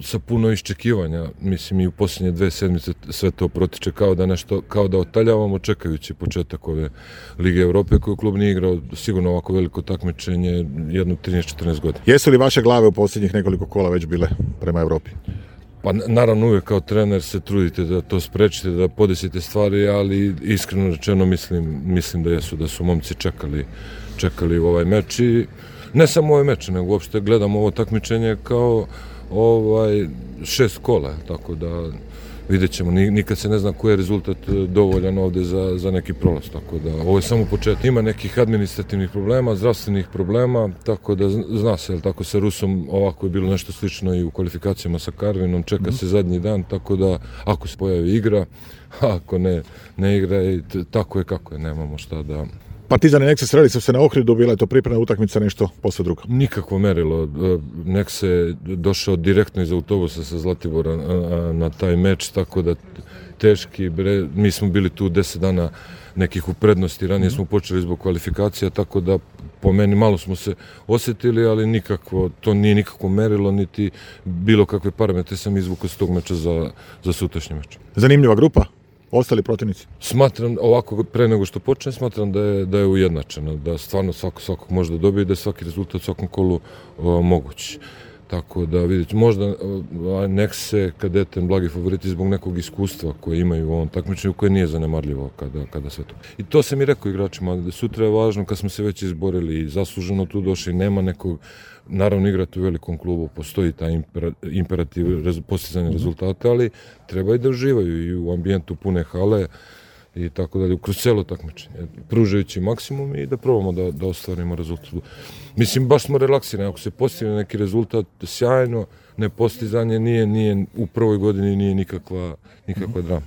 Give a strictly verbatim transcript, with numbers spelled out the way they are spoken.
sa puno iščekivanja. Mislim i u posljednje dve sedmice sve to protiče kao da nešto, kao da otaljavamo čekajući početak ove Lige Europe koju klub nije igrao sigurno ovako veliko takmičenje jedno trinaest četrnaest godina. Jesu li vaše glave u posljednjih nekoliko kola već bile prema Europi? Pa naravno uvijek kao trener se trudite da to sprečite, da podesite stvari, ali iskreno rečeno mislim, mislim da jesu, da su momci čekali, čekali ovaj meč i ne samo ovaj meč, nego uopšte gledamo ovo takmičenje kao ovaj šest kola, tako da vidjet ćemo, nikad se ne zna koji je rezultat dovoljan ovdje za, za neki prolaz, tako da ovo je samo početak. Ima nekih administrativnih problema, zdravstvenih problema, tako da zna se, jel tako sa Rusom ovako je bilo nešto slično i u kvalifikacijama sa Karvinom, čeka se zadnji dan, tako da ako se pojavi igra, ako ne, ne igra, tako je kako je, nemamo šta da... Partizan i Nexe sreli su se na Ohridu, bila je to pripremna utakmica, nešto posve drugo. Nikakvo merilo. Nexe je došao direktno iz autobusa sa Zlatibora na taj meč, tako da teški, bre, mi smo bili tu deset dana nekih u prednosti, ranije smo počeli zbog kvalifikacija, tako da po meni malo smo se osjetili, ali nikakvo, to nije nikakvo merilo, niti bilo kakve parametre sam izvukao s tog meča za, za sutrašnji meč. Zanimljiva grupa? Ostali protivnici? Smatram, ovako pre nego što počne, smatram da je, da je ujednačeno, da stvarno svako svakog može da dobije i da je svaki rezultat u svakom kolu o, moguć. Tako da vidite, možda Nexe, Kadeten, blagi favoriti zbog nekog iskustva koje imaju u ovom takmičenju, koje nije zanemarljivo kada, kada sve to. I to sam i rekao igračima, da sutra je važno kad smo se već izborili i zasluženo tu došli, nema nekog, naravno igrati u velikom klubu, postoji taj imperativ rez, postizanja rezultata, ali treba i da uživaju i u ambijentu pune hale i tako dalje, kroz celo takmičenje, pružajući maksimum i da probamo da, da ostvarimo rezultat. Mislim, baš smo relaksirani, ako se postigne neki rezultat, sjajno, nepostizanje nije, nije u prvoj godini nije nikakva, nikakva drama.